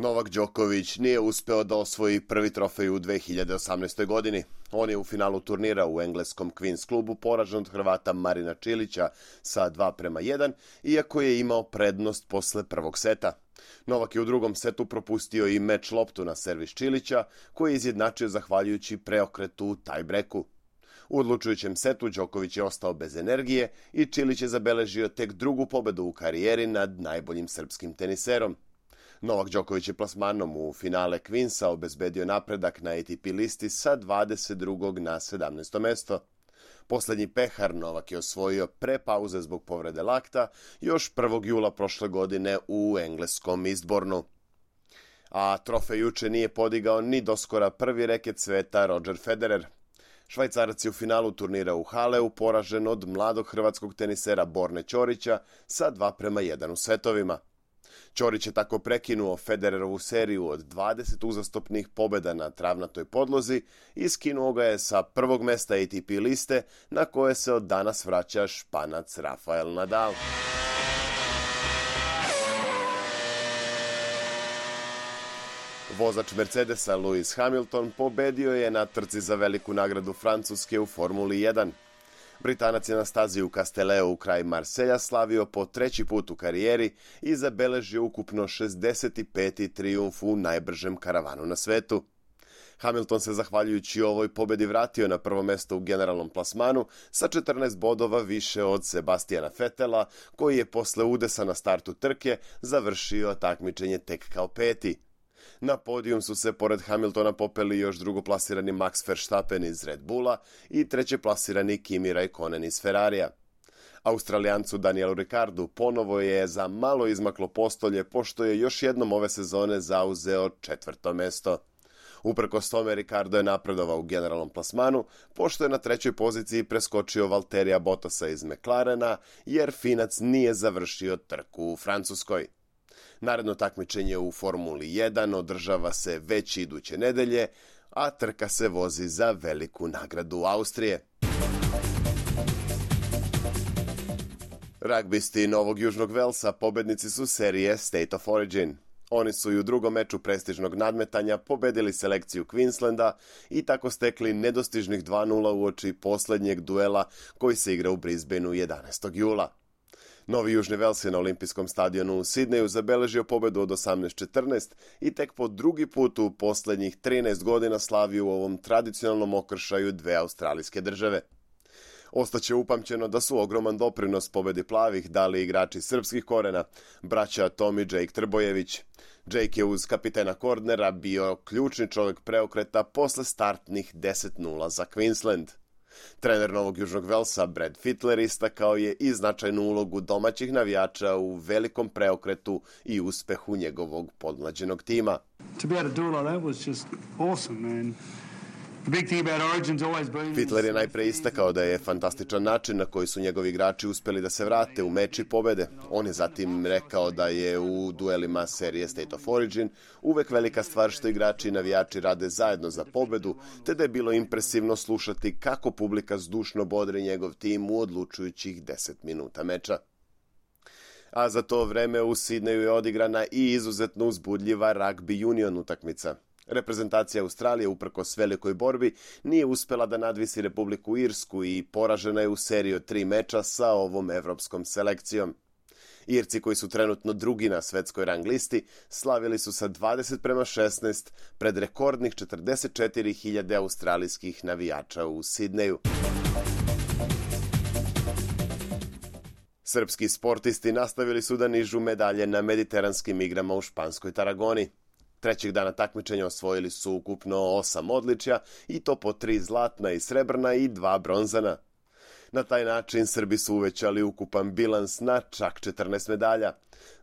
Novak Đoković nije uspeo da osvoji prvi trofej u 2018. godini. On je u finalu turnira u engleskom Queen's klubu poražen od Hrvata Marina Čilića sa 2:1, iako je imao prednost posle prvog seta. Novak je u drugom setu propustio i meč loptu na servis Čilića, koji je izjednačio zahvaljujući preokretu u tiebreaku. U odlučujućem setu Đoković je ostao bez energije i Čilić je zabeležio tek drugu pobedu u karijeri nad najboljim srpskim teniserom. Novak Đoković je plasmanom u finale Queensa obezbedio napredak na ATP listi sa 22. na 17. mesto. Poslednji pehar Novak je osvojio pre pauze zbog povrede lakta još 1. jula prošle godine u engleskom Eastbournu. A trofej juče nije podigao ni doskora prvi reket sveta Roger Federer. Švajcarac je u finalu turnira u Haleu poražen od mladog hrvatskog tenisera Borne Ćorića sa 2:1 u setovima. Ćorić je tako prekinuo Federerovu seriju od 20 uzastopnih pobjeda na travnatoj podlozi i skinuo ga je sa prvog mesta ATP liste na koje se od danas vraća Španac Rafael Nadal. Vozač Mercedesa Lewis Hamilton pobedio je na trci za veliku nagradu Francuske u Formuli 1. Britanac je na stazi u Castelleu kraj Marselja slavio po treći put u karijeri i zabeležio ukupno 65. trijumf u najbržem karavanu na svetu. Hamilton se zahvaljujući ovoj pobedi vratio na prvo mesto u generalnom plasmanu sa 14 bodova više od Sebastiana Vettela, koji je posle udesa na startu trke završio takmičenje tek kao peti. Na podijum su se pored Hamiltona popeli još drugoplasirani Max Verstappen iz Red Bulla i trećeplasirani Kimi Raikkonen iz Ferrarija. Australijancu Danielu Ricciardu ponovo je za malo izmaklo postolje, pošto je još jednom ove sezone zauzeo 4. mesto. Uprkos tome, Ricciardo je napredovao u generalnom plasmanu, pošto je na 3. poziciji preskočio Valtterija Bottasa iz McLarena, jer Finac nije završio trku u Francuskoj. Naredno takmičenje u Formuli 1 održava se već iduće nedelje, a trka se vozi za veliku nagradu Austrije. Ragbisti Novog Južnog Velsa pobednici su serije State of Origin. Oni su i u drugom meču prestižnog nadmetanja pobedili selekciju Queenslanda i tako stekli nedostižnih 2:0 uoči poslednjeg duela koji se igra u Brisbaneu 11. jula. Novi Južni Vels je na olimpijskom stadionu u Sidneju zabeležio pobedu od 18:14 i tek po drugi put u poslednjih 13 godina slavio u ovom tradicionalnom okršaju dve australijske države. Ostaće upamćeno da su ogroman doprinos pobedi plavih dali igrači srpskih korena, braća Tom i Jake Trbojević. Jake je uz kapitena Kordnera bio ključni čovjek preokreta posle startnih 10:0 za Queensland. Trener Novog Južnog Velsa Brad Fittler istakao je i značajnu ulogu domaćih navijača u velikom preokretu i uspehu njegovog podmlađenog tima. Fittler je najpre istakao da je fantastičan način na koji su njegovi igrači uspeli da se vrate u meč i pobede. On je zatim rekao da je u duelima serije State of Origin uvek velika stvar što igrači i navijači rade zajedno za pobedu, te da je bilo impresivno slušati kako publika zdušno bodri njegov tim u odlučujućih 10 minuta meča. A za to vreme u Sidneju je odigrana i izuzetno uzbudljiva rugby union utakmica. Reprezentacija Australije, uprkos velikoj borbi, nije uspela da nadvisi Republiku Irsku i poražena je u seriji od 3 meča sa ovom evropskom selekcijom. Irci, koji su trenutno drugi na svetskoj rang listi, slavili su sa 20:16 pred rekordnih 44.000 australijskih navijača u Sidneju. Srpski sportisti nastavili su da nižu medalje na mediteranskim igrama u španskoj Taragoni. Trećeg dana takmičenja osvojili su ukupno 8 odličja i to po 3 zlatna i srebrna i 2 bronzana. Na taj način Srbi su uvećali ukupan bilans na čak 14 medalja.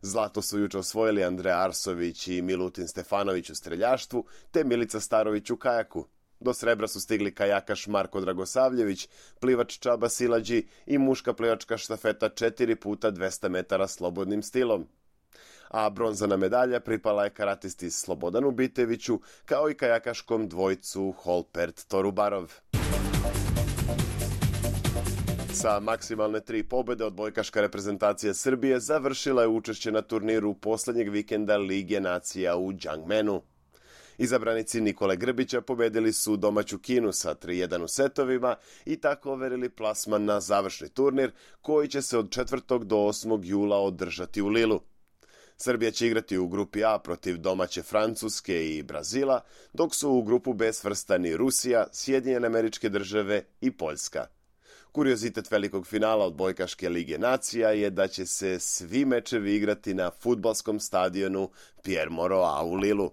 Zlato su juče osvojili Andreja Arsović i Milutin Stefanović u streljaštvu, te Milica Starović u kajaku. Do srebra su stigli kajakaš Marko Dragosavljević, plivač Čaba Silađi i muška plivačka štafeta 4x200 metara slobodnim stilom. A bronzana medalja pripala je karatisti Slobodanu Biteviću, kao i kajakaškom dvojcu Holpert Torubarov. Sa maksimalne 3 pobjede odbojkaška reprezentacija Srbije završila je učešće na turniru posljednjeg vikenda Lige nacija u Đangmenu. Izabranici Nikole Grbića pobedili su domaću Kinu sa 3:1 u setovima i tako overili plasman na završni turnir koji će se od 4. do 8. jula održati u Lilu. Srbija će igrati u grupi A protiv domaće Francuske i Brazila, dok su u grupu B svrstani Rusija, Sjedinjene Američke Države i Poljska. Kuriozitet velikog finala odbojkaške Lige nacija je da će se svi mečevi igrati na fudbalskom stadionu Pierre Mauroy u Lilu.